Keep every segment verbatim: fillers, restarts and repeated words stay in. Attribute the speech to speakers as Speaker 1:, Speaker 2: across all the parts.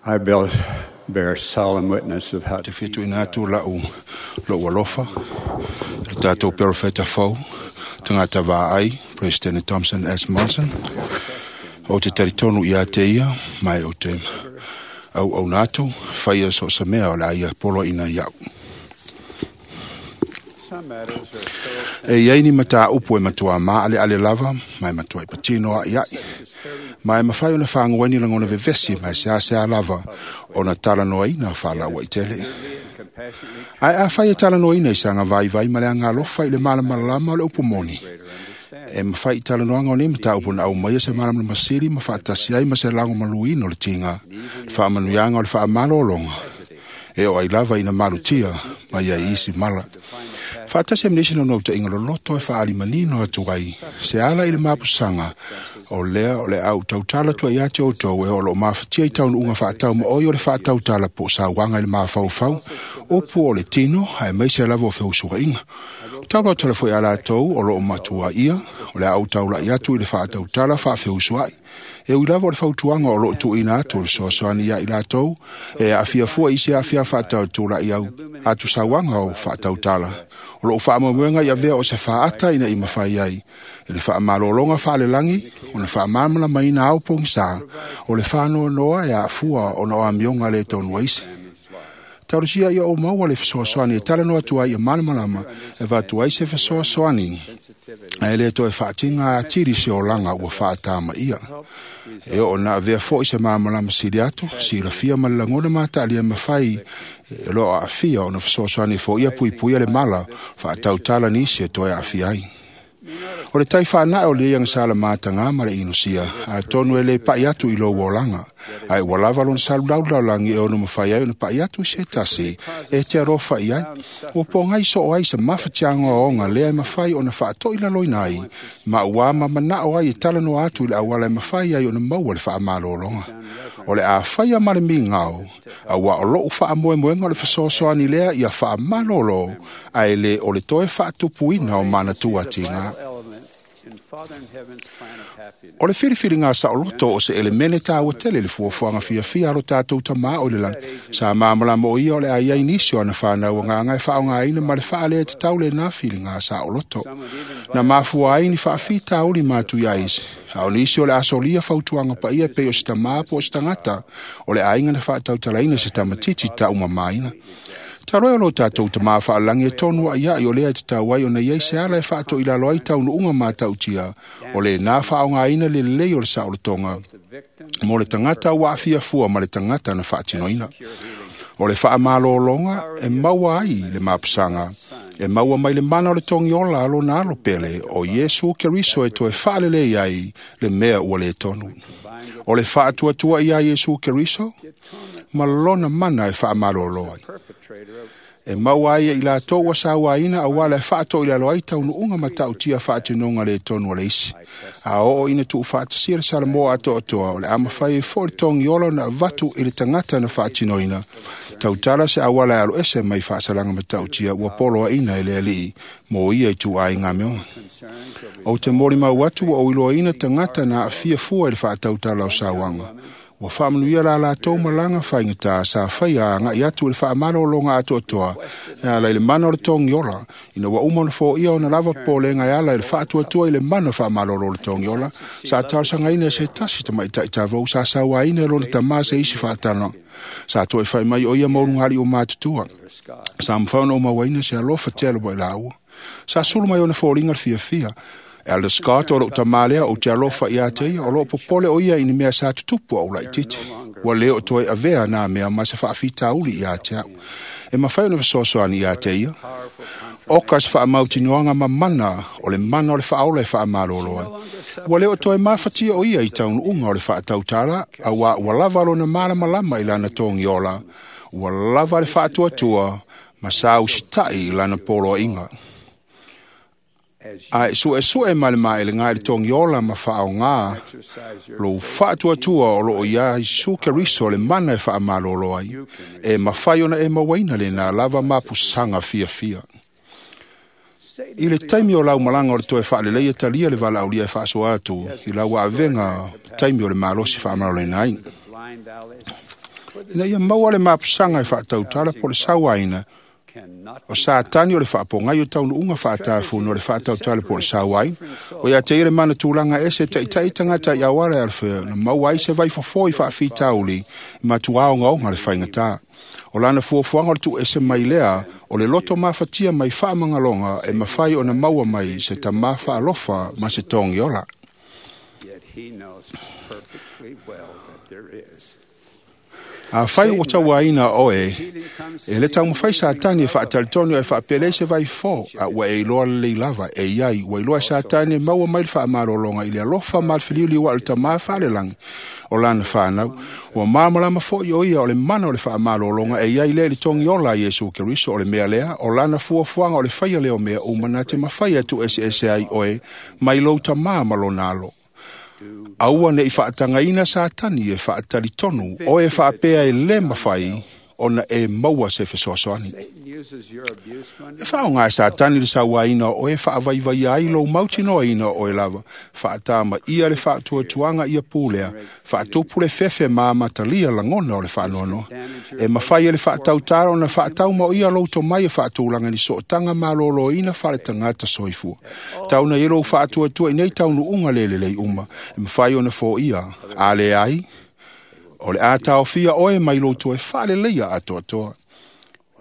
Speaker 1: I bear, bear solemn witness of how
Speaker 2: Te fia atu lau lou alofa, le tātou perofeta fou, tagata vaai, President Thompson S. Monson. O te taritonu ia te ia, mai o te au au natu, whaia so sa mea o la ia polo ina iau.
Speaker 1: some matters are so
Speaker 2: E iai ni mata upu e matua ma ale ale lava, mai matua i patino a iai. Mai mawhai ona whangueni langona vevesi, mai sea sea lava, ona talanoa ina whalaua i tele.
Speaker 1: and compassionately
Speaker 2: Ai a whai e talanoa ina i sanga vai vai ma le anga alofa i le malamalama o le upu moni.
Speaker 1: greater understanding.
Speaker 2: E mawhai i talanoanga o nei mata upu na au mai e se malamalama sili ma whaatasi ai ma se lango maluino le tinga. Le whaamanuianga o le whaamalolonga. E o ai lava ina malutia, mai ai isi mala. Whaatasi amnesi no ta inga loloto e whaali manino atu ai. Se ala i le mapusanga, o lea o le au tautala tua ia te outou e o lo mafatia i taunu unga whaatau ma oi o le whaatautala po sa wanga i le mawhauwhau, o pu o le tino, hae mai se lava o wheusuga inga. Taula tala foi ala tou o lo matua ia, o le au taula i atu i le whaatautala whaawheusuai. E ui lava o le fautuanga o lo tuina atu o le soasoani ia i latou, e afia fua i se afia whaatautula i au atu sauanga o whaatautala. O lo whaamoemoenga i avea o se whaata ina i mawhai ai. E le whaamalolonga whaalelangi, o le whaamalama maina au pongisa, o le whanoa noa e afua o no amionga le tonu aisi. Taurusia ia o maua le fesoasoani e talanoa atu ai ia malamalama e vatu ai se fesoasoani. Ae le toe whaatinga a tiri se olanga ua whaatama ia. E o na avea foi se malamalama sili atu, silafia ma le lagona matalia mawhai e loa aafia o na fesoasoani fo ia puipuia le mala whaatautala nisi e toe aafia ai. O le tai whaanai o le ianga sala mātanga ma le inusia, a tonu e le pai atu i lo olanga. Ai ua lava lona salu laulaulangi e ono mawhai ai ona pai atu i se tasi, e te arofa i ai. Ua po ngai so o ai sa mawhatianga o onga lea e mawhai ona whaatoi laloina ai, ma ua ma manao ai e talanoa atu i le awala e mawhai ai ona maua le whaamalolonga. O le a whaia ma le mingao, a ua o lou whaamoemoenga o le whasoasoani lea ia whaamalolo, a ele o le toe whaatupuina o manatua tinga.
Speaker 1: Element in Father in Heaven's plan of happiness.
Speaker 2: O le whiriwhiringa sa o loto o se elemene tāua tele le fuafuanga fiafia alo tātou tamā o le langi. Sa māmalama o ia o le ai ai nisi o ana whānau ngā ngai whaonga aina ma le whaalea te taule nā whiringa sa o loto. Na mafua ai ni whaawhi tāuli mātu ia isi. A o nisi o le asolia fautuanga pa ia pe o se tamā po o se tangata o le ainga na whaatautalaina se tamatiti ta umamaina. Taroe o lo tātou te mā whaalangi e tonu a ia i o lea e te tauai o na iei se ala e whaato i lalo ai taunu unga mātautia o le nā whaonga aina le lelei o le saolotonga
Speaker 1: The victim
Speaker 2: mo le tangata ua afia fua ma le tangata na whaatinoina.
Speaker 1: secure healing.
Speaker 2: O le whaamalolonga e maua ai le mapusanga e maua mai le mana o le tongi ola alo na alo pele o Iesu Keriso e toe whaalelei ai le mea ua le tonu. O le whaatuatua ia Iesu Keriso ma lona mana e whaamalolo ai.
Speaker 1: Perpetrator of
Speaker 2: E maua ai i latou ua sauaina a wala e whaato i lalo ai taunu unga matautia whaatinonga le tonu o le isi. A oo ina tuu whaatasia le Salamoa atoatoa o le amawhai e fo le tongi ola na vatu i le tangata na whaatinoina. Tautala se awala e alo ese mai whaasalanga matautia ua polo a ina e le alii mo ia i tuu ai ngā meonga.
Speaker 1: concerns will be
Speaker 2: O te mori mau atu ua oiloa ina tangata na afia fua i le whaatautala o sauanga. Ua whaamanuia la latou malanga whaingata sa whaia anga i atu i le whaamalolonga atoatoa e ala i le mana o le tongi ola. Ina ua uma ona fōia ona lava pōlenga e ala i le whaatuatua i le mana whaamalolo o le tongi ola. Sa talosangaina e se tasi tamaitai tavou sa sauaina e lona tamā se isi whaatana. Sa toe whai mai o ia maulungali o mātutua.
Speaker 1: Scott.
Speaker 2: Sa mwhauna o mauaina se alofa tele wa i laua. Sa sulu mai ona fōringa le fiafia. Elder Scott o lou tamalea o te alofa ia te ia o loo popole o ia i ni mea sa tutupu au laititi. Ua leo toe avea nā mea ma se whaafitauli ia te au. E mawhai ona fesoasoani ia te ia.
Speaker 1: Powerful
Speaker 2: O ka se whaamautinoanga ma mana o le mana o le whaola e whaamalolo ai. Ua leo toe mafatia o ia i taunu unga o le whaatautala a ua ua lava lona malamalama i lana tongi ola. Ua lava le whaatuatua ma sa usitai i lana polo inga.
Speaker 1: as you
Speaker 2: A e sue sue ma le maele ngai le tongi ola ma whaonga
Speaker 1: exercise your
Speaker 2: lo whaatuatua o loo ia Isu Keriso le mana e whaamalolo ai. E mawhai ona e mawaina le nā lava mapusanga fiafia.
Speaker 1: Satan
Speaker 2: I le taimi o lau malanga o le toe whaalelei e talia le walaulia e whaasoa atu i lau avenga taimi o le malosi whaamalolena ai.
Speaker 1: the blind alleys
Speaker 2: Ina ia maua le mapusaga e faatautala po o le sauaina, o Satani o le faapogai o taunuuga faatafuno o le faatautala po o le sauaina. O ia te ia le mana tulaga ese taitai tagata i auala e alofea na maua ai se vaifofo i faafitauli i matua ogaoga le faigatā. O lana fuafuaga o le tuuese mai lea o le loto mafatia mai faamagaloga e mafai ona maua mai se tamā faalofa ma se togiola.
Speaker 1: Yet he knows perfectly well that there is.
Speaker 2: Afai ua tauaina oe, e le taumafai Satani e faatalitonu e faapelei se vaifo, a ua e iloa lelei lava, e iai, ua iloa e Satani e maua mai le faamalologa i le alofa ma le filiuliu a o le tamā faalelagi o lana whanau. Ua māmalama foi o ia o le mana o le faamalologa e iai lea i le togiola a Iesu Keriso o le mea lea, o lana fuafuaga o le faia lea o mea uma na te mafai e tuueseese ai oe mai lou tamā ma lona alo. Aua nei faatagaina Satani e faatalitonu oe faapea e le mafai ona e maua se fesoasoani.
Speaker 1: Satan uses your abuse to
Speaker 2: E
Speaker 1: undermine
Speaker 2: faaaoga e Satani le sauaina o oe faavaivaia ai lou mautinoaina o oe lava, faatamaia le faatuatuaga ia pulea, faatupu le fefe ma amatalia lagona o le faanoanoa. E mafai e le faatautala ona faatauma o ia lou tomai e faatulaga ni sootaga malōlōina faaletagata soifua. Tauna i lou faatuatua i nei taunuuga le lelei uma, e mafai ona foia, a leai, o le a taofia oe mai lou toe faaleleia atoatoa.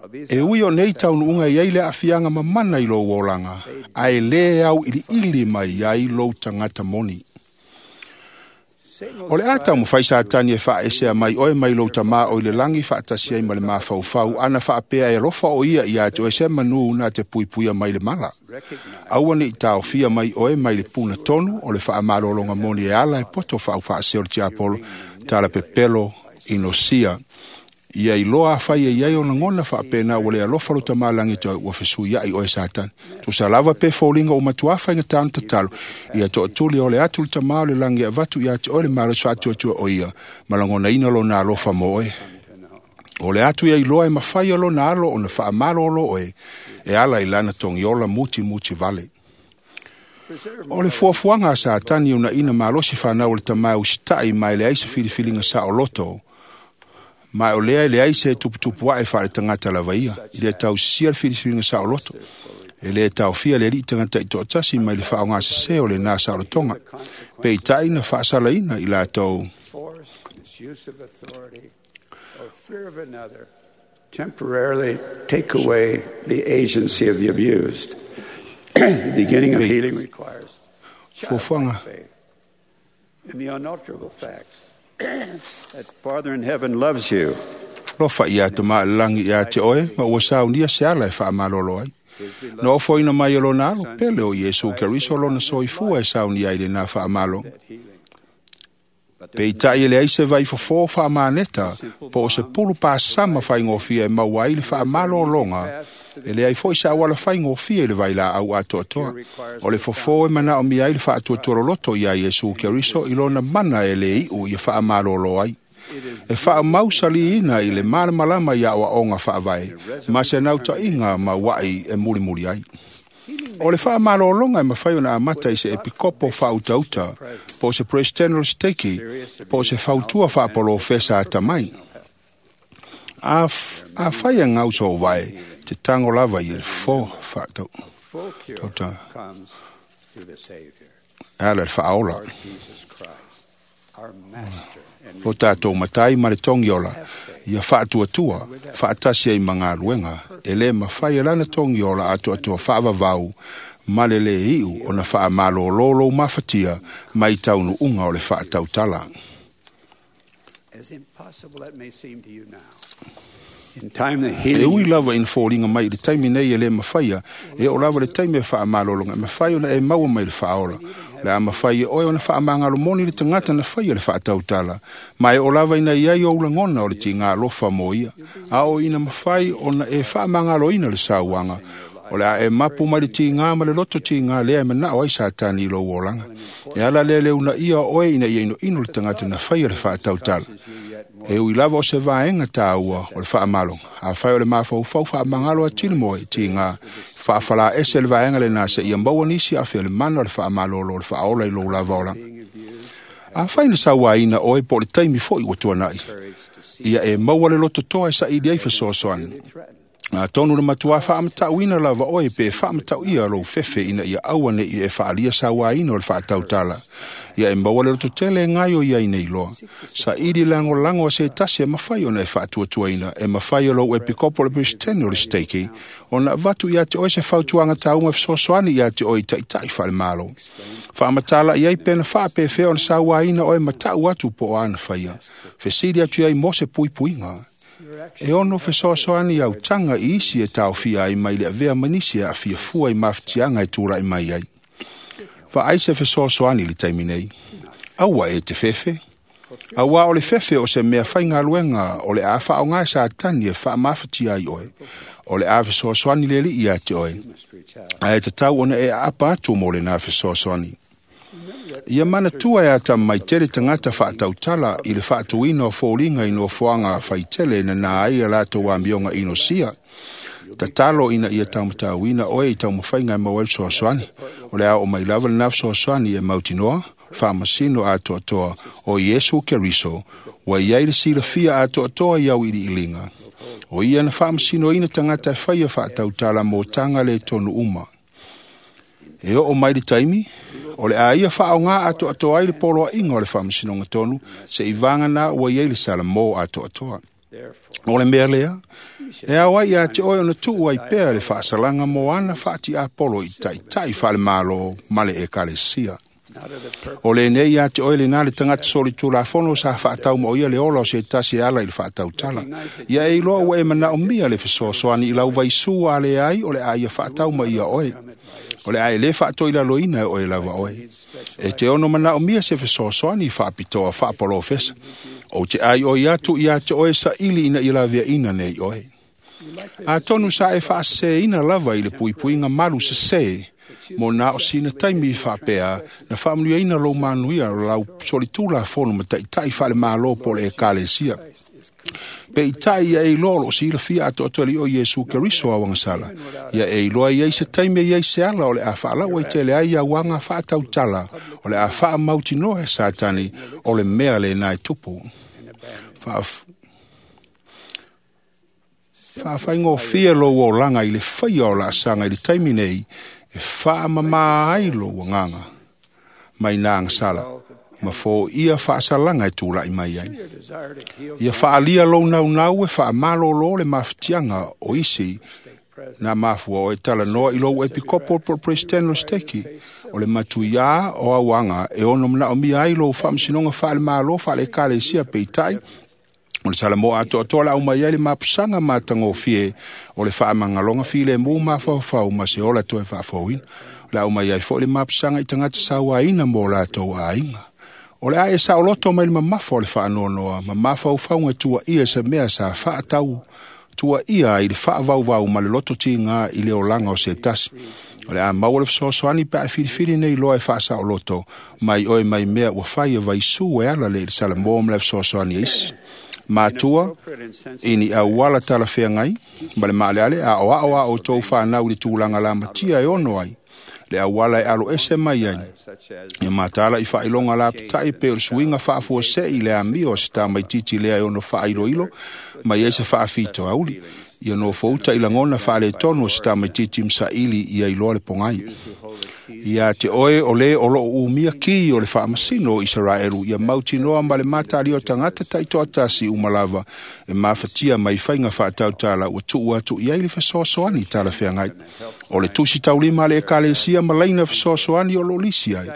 Speaker 1: Well, these
Speaker 2: E ui o nei taunuuga i ai le aafiaga mamana i lou olaga, ae lē au iliili mai ai lou tagata moni.
Speaker 1: Satan will
Speaker 2: O le a taumafai Satani e faaesea mai oe mai lou tamā o i le lagi faatasi ai ma le mafaufau, ana faapea e alofa o ia ia te oe se manu na te puipuia mai le mala.
Speaker 1: recognize
Speaker 2: Aua nei taofia mai oe mai le puna tonu o le faamalologa moni e ala e poto faaufaa o le tiapolo, tala pepelo inosia. Ia iloa afai e iai o lagona faapena ua le alofa lo tamā lagi te ua fesuiai oe Satani. Tusa lava pe foliga o matuā faigatā ona tatalo, ia toatuli o le atu le tamā o le lagi e avatu ia te oe le malosi faatuatua o ia, ma lagonaina lona alofa mo oe.
Speaker 1: to know.
Speaker 2: O le atu ia iloa e mafai o lona alo ona faamalolo oe, e ala i lana togiola mutimuti vale.
Speaker 1: Preserve
Speaker 2: O le fuafuaga a Satani ona ina malosi fanau o le tamā usitai ma e leai se filifiliga saoloto, ma o lea e leai se tuputupu ae faaletagata lava ia, i le tausisia le filifiliga saoloto. E le taofia le alii tagata i toatasi mai le faaaogasesē o lenā saolotoga. Peitai na faasalaina i latou
Speaker 1: force, misuse of authority, or fear of another temporarily take away the agency of the abused. The beginning of healing requires
Speaker 2: fuafuaga
Speaker 1: childlike faith in the unalterable facts that Father in heaven loves you.
Speaker 2: lofa ia tamā le lagi ia te oe, ma ua saunia se ala e faamalolo ai. Na ofoina mai e lona alo, pele o Iesu Keriso lona soifua e saunia ai lenā faamalo.
Speaker 1: That healing. But there's
Speaker 2: Peitai e leai se vaifofō faamaneta, po o se pulu pasama faigofie e maua ai le faamalologa, e leai foi sa auala faigofie i le vailaau atoatoa. O le fofō e manaomia ai le faatuatualoloto iā Iesu Keriso i lona mana e lē iʻu ia faamalōlō ai. E faamausaliina i le malamalama ia aoaoga faavae, ma se nautaiga ma uaʻi e mulimuli ai. O le faamalologa e mafai ona amata i se epikopo faautauta, po o se president o le steki, po o se fautua faapolofesa atamai. A, f- afai e gauso vae, te tago lava i le fo faatau.
Speaker 1: full cure
Speaker 2: Tota.
Speaker 1: comes through the Savior,
Speaker 2: E ala le faaola.
Speaker 1: Lord Jesus Christ, our Master and
Speaker 2: Lo tātou matai ma le togiola, ia faatuatua, faatasi ai ma galuega, e lē mafai e lana togiola atoatoa faavavau, ma le lē iʻu ona faamalōlō lou mafatia mai taunuuga o le faatautala.
Speaker 1: As impossible that may seem to you now. In time, the
Speaker 2: E
Speaker 1: healing
Speaker 2: ui lava ina foliga mai i le taimi nei e lē mafaia, e oo lava le taimi e faamalologa, e mafai ona e maua mai le faaola. Le a mafai e oe ona faamagalomoni le tagata na faia le faatautala, ma e oo lava ina iai ou lagona o le tigā alofa mo ia, a o ina mafai ona e faamagaloina le sauaga, o le a e mapu mai le tigā ma le loto tigā lea e manao ai Satani i lou olaga. E ala lea le unaia o oe ina ia inoino le tagata na faia le faatautala. E ui lava o se vaega tāua o le faamaloga. Afai o le mafaufau faamagalo atili mo e tigā, faafalaese le vaega lenā seia maua nisi afe o le mana o le faamalōlō o le faaola i lou lava olaga. Afai na sauaina oe po o le taimi fo'i ua tuana'i, ia e maua le lototoa e saili ai fesoasoani. Atonu na matuā faamatauina lava oe pe faamatauia lou fefe ina ia aua ne'i e faaalia sauaina o le faatautala. Ia e maua le lototele e gaoioi ai nei loa. Saili lagolago a se tasi e mafai ona e faatuatuaina, e mafai e lou epikopo o le Peresetene o le Siteiki ona avatu ia te oe se fautuaga tauga e fesoasoani ia te oe i taʻitaʻi faalemalo. Faamatala i ai pe na faapefea ona sauaina oe ma ta'u atu po o ana faia. Fesili atu ai mo se puipuiga. E ono fesoasoani autaga i isi e taofia ai mai le avea ma nisi e aafia fua i mafatiaga e tula'i mai ai. Vaai se fesoasoani i le taimi nei. Aua e te fefe. Auā o le fefe o se mea faigaluega o le a faaaogā e Satani e faamafatia ai oe. O le a fesoasoani le ali'i ia te oe. Ae tatau ona e aapa atu mo lenā fesoasoani. Ia manatua e atamamai tele tagata faatautala i le faatuina o foliga i nofoaga faitele nanā ai a latou amioga inosia. Tatalo ina ia taumatauina oe i taumafaiga e maua ai le fesoasoani. O le a oo mai lava lenā fesoasoani e mautinoa, faamasino atoatoa o Iesu Keriso, ua i ai le silafia atoatoa i auiliiliga. O ia na faamasinoina tagata e faia faatautala mo taga le tonu uma. E oo mai le taimi, o le a ia faaogā atoatoa ai le poloaiga o le faamasinoga tonu, se'i vagana ua i ai le salamō atoatoa. O le mea lea, e ao ai ia te oe ona tuu ai pea le faasalaga mo ana faatiapolo i taʻitaʻi faalemālō ma le ekalesia. O lenei ia te oe lenā le tagata solitulafono sa faatau o ia le ola o se tasi e ala i le faatautala. Ia e iloa ua e manaomia le fesoasoani i lau vaisū a leai o le a ia faatau ma ia oe. O le a e lē faatoilaloina e oe lava oe. E te ono manaomia se fesoasoani faapitoa faapolofesa. Ou te ai oi atu ia te oe saili ina ia laveaina nei oe. Atonu sa e faaseseina lava i le puipuiga malu sesē mo na o sina taimi faapea na faamanuiaina lou manuia o lau solitulafono ma taʻitaʻi faalemālō po o le ekalesia. Peitaʻi ia e iloa o loo silafia atoatoa le o Iesu Keriso auagasala. Ia e iloa i ai se taimi e iai se ala o le a faalau ai tele ai auaga faatautala o le a faamautinoa e Satani o le mea lenā e tupu. Faaf... Faafaigofie lou olaga i le faia o laasaga i le taimi nei e faamamā ai lou agaga mai nā agasala ma foia faasalaga e tula'i mai ai. Ia faalia lou naunau e faamalōlō le mafatiaga o isi na mafua o e talanoa i lou epikopo po o le Peresetene o le Siteki o le matuiā o auaga e ono manaomia ai lou faamasinoga faalemālō faale-ekalesia peitaʻi o le salamō atoatoa le aumai ai le mapusaga matagofie o le faamagaloga filemu mafaufau ma se ola toe faafouina. O le aumai ai fo'i le mapusaga i tagata sauaina mo latou aiga. O le a e saoloto mai le mamafa o le faanoanoa ma mafaufauga tuaia se mea sa faatau tuaia ai le faavauvau ma le loto tigā i le olaga o se tasi. O le a maua le fesoasoani pe a e filifili nei loa e faasaoloto mai oe mai mea ua fai e vaisū e ala le i le salamō ma le fesoasoani a isi. Matua, ini auala talafeagai ma le maaleale a oao a outou fanau i le tulaga lamatia e ono ai le auala e alo ese mai ai. Ia matala i faailoga lapataʻi pe o le suiga faafuaseʻi i le amio o se tamaititi lea e ono faailoilo mai ai se faafitoauli. Ia nofouta i lagona faaletonu o se tamaititi ma saili ia iloa le pogai. Ia te oe o lē o loo umia ki o le faamasino o Isaraelu ia mautinoa ma le matalia o tagata taitoatasi uma lava e mafatia mai faiga faatautala ua tuu atu i ai le fesoasoani talafeagai. O le tusi taulima a le ekalesia ma laina fesoasoani o loo lisi ai.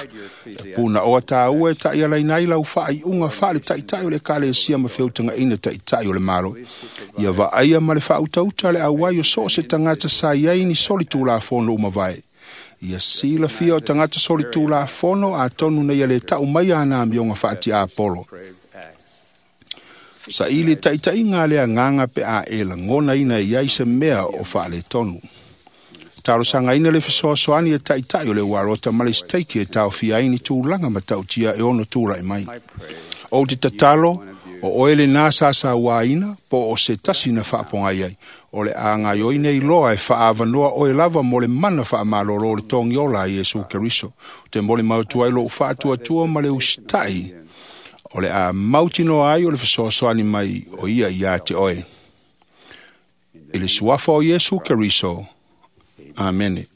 Speaker 2: E punaoa tāua e taʻialaina ai lau faaiuga faaletaʻitaʻi o le ekalesia ma feutagaina taʻitaʻi o le Malo. Ia vaaia ma le faautauta le auai o so o se tagata sa i ai ni solitulafono uma vae. Ia silafia o tagata solitulafono atonu nei ia le ta'u mai ana amioga faatiapolo. Saili taʻitaʻiga a le agaga pe a e lagonaina i ai se mea o faaletonu. Talosagaina le fesoasoani e taʻitaʻi o le ualota ma le siteiki e taofia ai ni tulaga ma taʻutia e ono tulaʻi mai. Ou te tatalo, o oe lenā sasauāina po o se tasi na faapogai ai. O le a gaioi nei loa e faaavanoa oe lava mo le mana faamalōlō o le togiola a Iesu Keriso. Te molimau atu ai lou faatuatua ma le usitaʻi O le a mautinoa ai o le fesoasoani mai o ia ia te oe. I le suafa o Iesu Keriso. Amene.